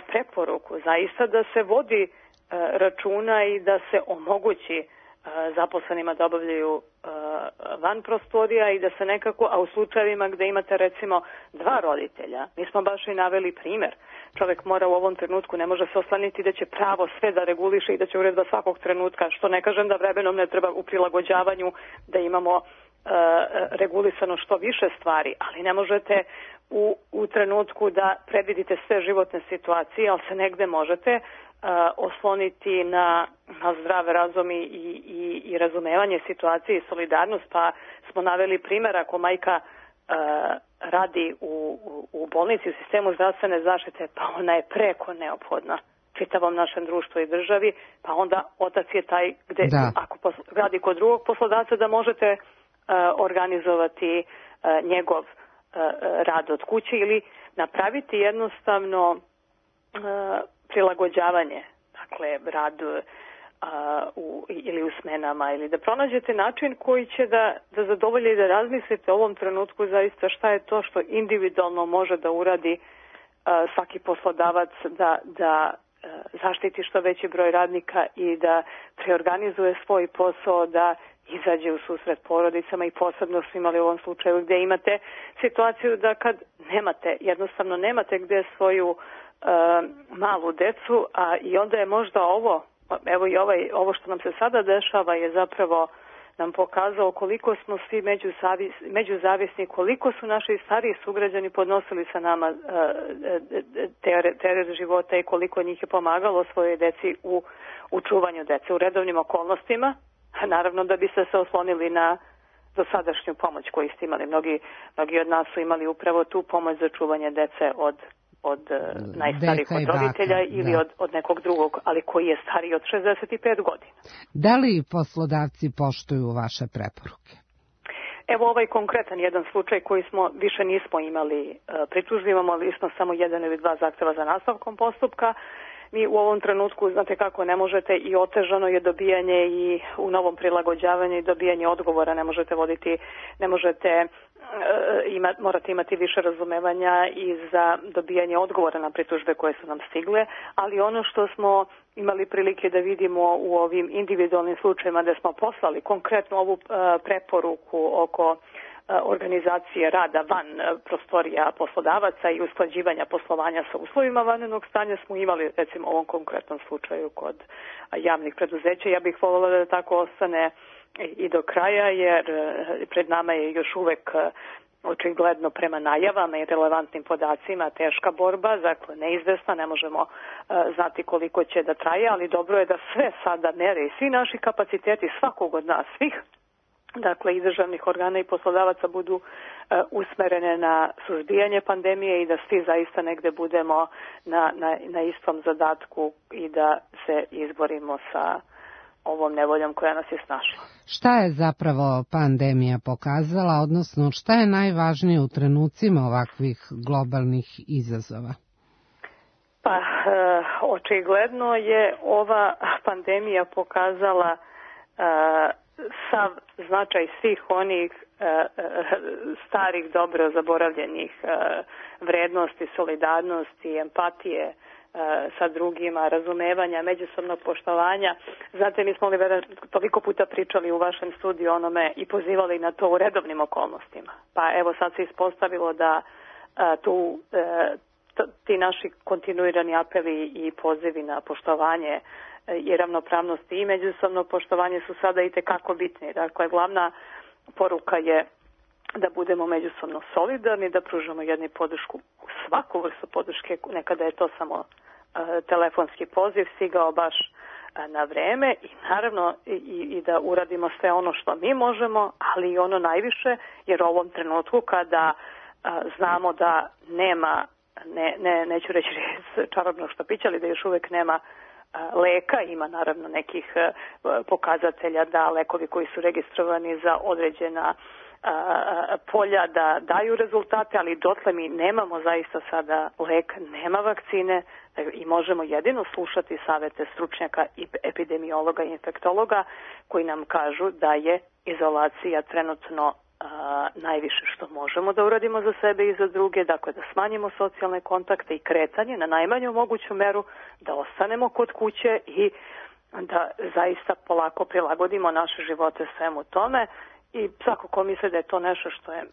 preporuku, zaista da se vodi računa i da se omogući zaposlenima da obavljaju van prostorija i da se nekako, a u slučajevima gde imate recimo 2 roditelja, mi smo baš i naveli primer. Čovjek mora u ovom trenutku, ne može se oslaniti da će pravo sve da reguliše i da će uredba svakog trenutka, što ne kažem da vremenom ne treba u prilagođavanju da imamo regulisano što više stvari, ali ne možete u trenutku da predvidite sve životne situacije, ali se negde možete osloniti na zdrav razum i razumevanje situacije i solidarnost, pa smo naveli primjer ako majka radi u bolnici, u sistemu zdravstvene zaštite, pa ona je preko neophodna čitavom našem društvu i državi, pa onda otac je taj gde, ako radi kod drugog poslodavca, da možete organizovati njegov rad od kuće ili napraviti jednostavno prilagođavanje, dakle rad ili u smenama, ili da pronađete način koji će da zadovolje i da razmislite u ovom trenutku zaista šta je to što individualno može da uradi svaki poslodavac da zaštiti što veći broj radnika i da preorganizuje svoj posao, da izađe u susret porodicama, i posebno smo imali u ovom slučaju gdje imate situaciju da kad jednostavno nemate gdje svoju malu decu, a i onda je možda ovo što nam se sada dešava je zapravo nam pokazao koliko smo svi međuzavisni, koliko su naši stariji sugrađani podnosili sa nama teret života i koliko njih je pomagalo svojoj deci u čuvanju dece u redovnim okolnostima. Naravno da biste se oslonili na dosadašnju pomoć koju ste imali. Mnogi od nas su imali upravo tu pomoć za čuvanje dece od najstarijih od roditelja ili od nekog drugog, ali koji je stariji od 65 godina. Da li poslodavci poštuju vaše preporuke? Evo ovaj konkretan jedan slučaj koji više nismo imali pritužbi, imamo lično samo 1 ili 2 zahteva za nastavkom postupka. Mi u ovom trenutku, znate kako, ne možete, i otežano je dobijanje i u novom prilagođavanju i dobijanje odgovora, morate imati više razumevanja i za dobijanje odgovora na pritužbe koje su nam stigle, ali ono što smo imali prilike da vidimo u ovim individualnim slučajima da smo poslali konkretno ovu preporuku oko organizacije rada van prostorija poslodavaca i usklađivanja poslovanja sa uslovima vanrednog stanja, smo imali recimo u ovom konkretnom slučaju kod javnih preduzeća. Ja bih voljela da tako ostane i do kraja, jer pred nama je još uvek očigledno prema najavama i relevantnim podacima teška borba, dakle neizvesna, ne možemo znati koliko će da traje, ali dobro je da sve sada mere i svi naši kapaciteti svakog od nas, svih, dakle i državnih organa i poslodavaca, budu usmerene na suzbijanje pandemije i da svi zaista negde budemo na istom zadatku i da se izborimo sa ovom nevoljom koja nas je snašla. Šta je zapravo pandemija pokazala, odnosno šta je najvažnije u trenucima ovakvih globalnih izazova? Pa, očigledno je ova pandemija pokazala sav značaj svih onih starih, dobro zaboravljenih vrednosti, solidarnosti, empatije sa drugima, razumevanja, međusobnog poštovanja. Znate, mi smo toliko puta pričali u vašem studiju onome i pozivali na to u redovnim okolnostima. Pa evo sad se ispostavilo da ti naši kontinuirani apeli i pozivi na poštovanje i ravnopravnosti i međusobno poštovanje su sada i tekako bitni. Dakle, glavna poruka je da budemo međusobno solidarni, da pružamo jedni podršku, svaku vrstu podrške, nekada je to samo telefonski poziv stigao baš na vreme, i naravno i da uradimo sve ono što mi možemo, ali i ono najviše, jer u ovom trenutku kada znamo da nema, neću reći čarobnog štapića, ali da još uvek nema leka, ima naravno nekih pokazatelja da lekovi koji su registrovani za određena polja da daju rezultate, ali dotle mi nemamo zaista sada lek, nema vakcine i možemo jedino slušati savete stručnjaka i epidemiologa i infektologa koji nam kažu da je izolacija trenutno najviše što možemo da uradimo za sebe i za druge, dakle da smanjimo socijalne kontakte i kretanje na najmanju moguću meru, da ostanemo kod kuće i da zaista polako prilagodimo naše živote svemu tome. I svako ko misli da je to nešto što je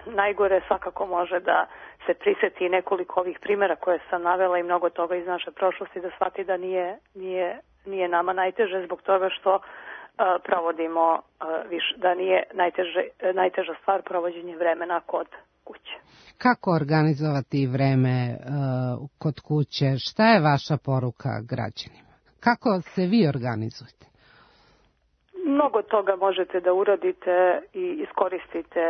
najgore, svakako može da se prisjeti nekoliko ovih primjera koje sam navela i mnogo toga iz naše prošlosti, da shvati da nije nama najteže zbog toga što provodimo da nije najteža stvar provođenje vremena kod kuće. Kako organizovati vreme kod kuće? Šta je vaša poruka građanima? Kako se vi organizujete? mnogo toga možete da uradite i iskoristite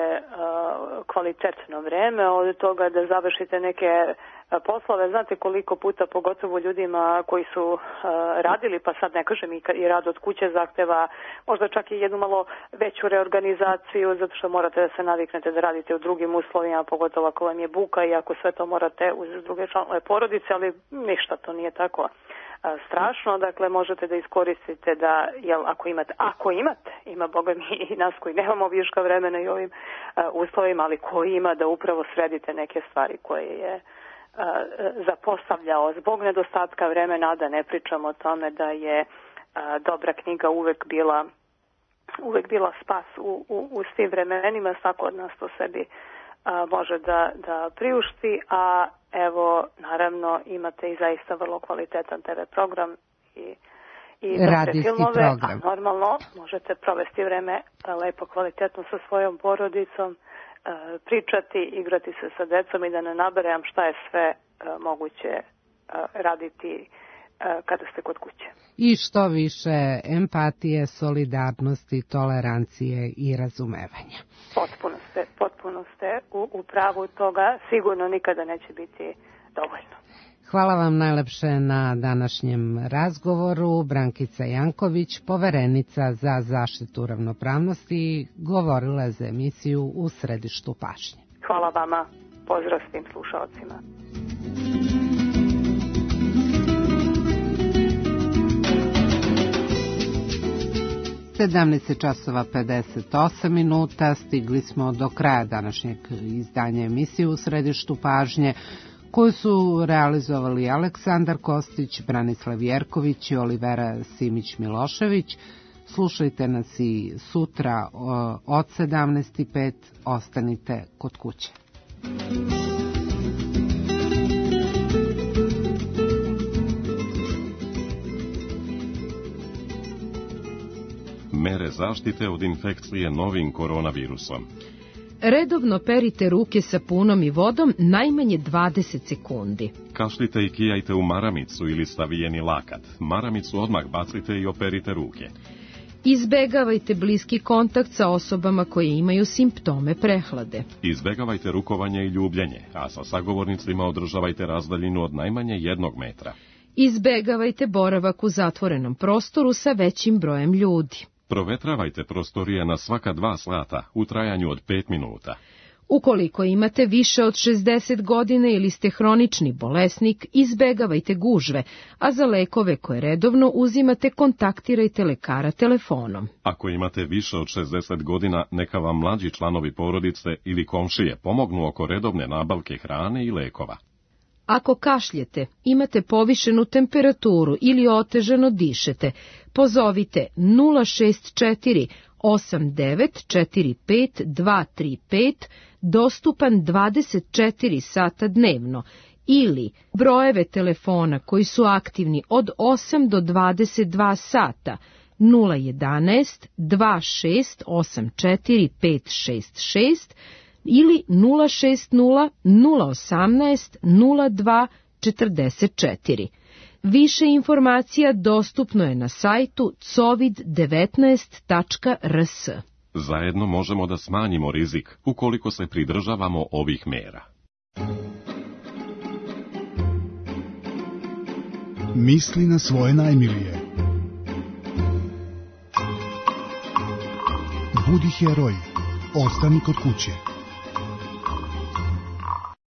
kvalitetno vreme, od toga da završite neke poslove. Znate koliko puta, pogotovo ljudima koji su radili, pa sad ne kažem i rad od kuće zahteva možda čak i jednu malo veću reorganizaciju, zato što morate da se naviknete da radite u drugim uslovima, pogotovo ako vam je buka i ako sve to morate uz druge članove porodice, ali ništa, to nije tako strašno. Dakle, možete da iskoristite da, ako imate, ima Boga mi i nas koji nemamo viška vremena i ovim uslovima, ali koji ima, da upravo sredite neke stvari koje je zapostavljao zbog nedostatka vremena, da ne pričamo o tome da je dobra knjiga uvek bila spas u svim vremenima. Svako od nas to sebi može da priušti, a evo, naravno, imate i zaista vrlo kvalitetan TV program i radijski filmove, program. A normalno možete provesti vreme lepo, kvalitetno sa svojom porodicom, pričati, igrati se sa decom i da ne nabrajam šta je sve moguće raditi kada ste kod kuće. I što više empatije, solidarnosti, tolerancije i razumevanja. Potpuno ste u pravu toga, sigurno nikada neće biti dovoljno. Hvala vam najlepše na današnjem razgovoru. Brankica Janković, poverenica za zaštitu ravnopravnosti, govorila je za emisiju U središtu pažnje. Hvala vama, pozdrav svim slušalcima. 17:58, stigli smo do kraja današnjeg izdanja emisije U središtu pažnje, koju su realizovali Aleksandar Kostić, Branislav Jerković i Olivera Simić-Milošević. Slušajte nas i sutra od 17:05. Ostanite kod kuće. Mere zaštite od infekcije novim koronavirusom. Redovno perite ruke sapunom i vodom najmanje 20 sekundi. Kašljite i kijajte u maramicu ili stavijeni lakat. Maramicu odmah bacite i operite ruke. Izbegavajte bliski kontakt sa osobama koje imaju simptome prehlade. Izbegavajte rukovanje i ljubljenje, a sa sagovornicima održavajte razdaljinu od najmanje 1 metra. Izbegavajte boravak u zatvorenom prostoru sa većim brojem ljudi. Provetravajte prostorije na svaka 2 sata u trajanju od 5 minuta. Ukoliko imate više od 60 godina ili ste hronični bolesnik, izbegavajte gužve, a za lekove koje redovno uzimate, kontaktirajte lekara telefonom. Ako imate više od 60 godina, neka vam mlađi članovi porodice ili komšije pomognu oko redovne nabavke hrane i lekova. Ako kašljete, imate povišenu temperaturu ili otežano dišete, pozovite 064 8945 235, dostupan 24 sata dnevno, ili brojeve telefona koji su aktivni od 8 do 22 sata 011 2684 566 ili 060 018 02 44. Više informacija dostupno je na sajtu covid19.rs. Zajedno možemo da smanjimo rizik ukoliko se pridržavamo ovih mera. Misli na svoje najmilije. Budi heroj. Ostani kod kuće.